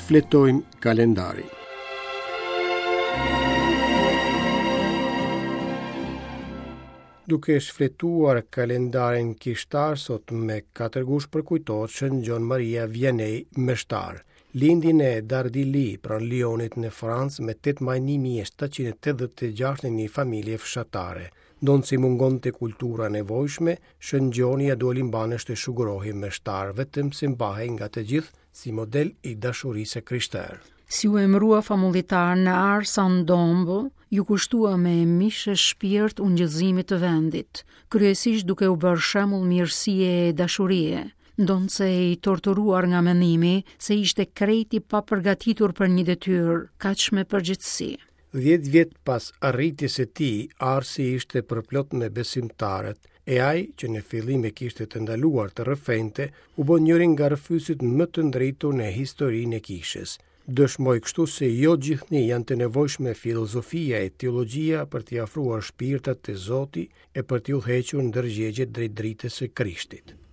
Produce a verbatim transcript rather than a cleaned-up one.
Shfletojmë kalendarin. Duke shfletuar kalendarin kishtar sot me katër gusht përkujtohet Shën Gjon Maria Vianney meshtar. Lindi në Dardilly, pranë Lyonit në Francë, me tetë maj një mijë e shtatëqind e tetëdhjetë e gjashtë në një familje fshatare. Ndonëse mungonte kultura e nevojshme, Shën Gjoni ia doli mbanë të shugurohej meshtar, vetëm se mbahej nga të gjithë si model i dashurisë së krishterë. Si u emërua famullitar në Ars-en-Dombes, ju kushtua me mish e shpirt ungjillzimit të vendit, kryesisht duke u bërë shembull mirësie e dashurie, ndonëse i torturuar nga mendimi se ishte krejt i papërgatitur për një detyrë kaq me përgjegjësi. Dhjetë vjet pas arritjes së tij, Arsi ishte përplot me besimtarët, e ai, që në fillim e kishte të ndaluar të rrëfente, u bë njëri nga rrëfyesit më të ndritur në historinë e kishës. Dëshmoi kështu se jo gjithnjë janë të nevojshme filozofia e teologjia për t'i afruar shpirtat te Zoti e për t'i udhëhequr ndërgjegjet drejt dritës së Krishtit.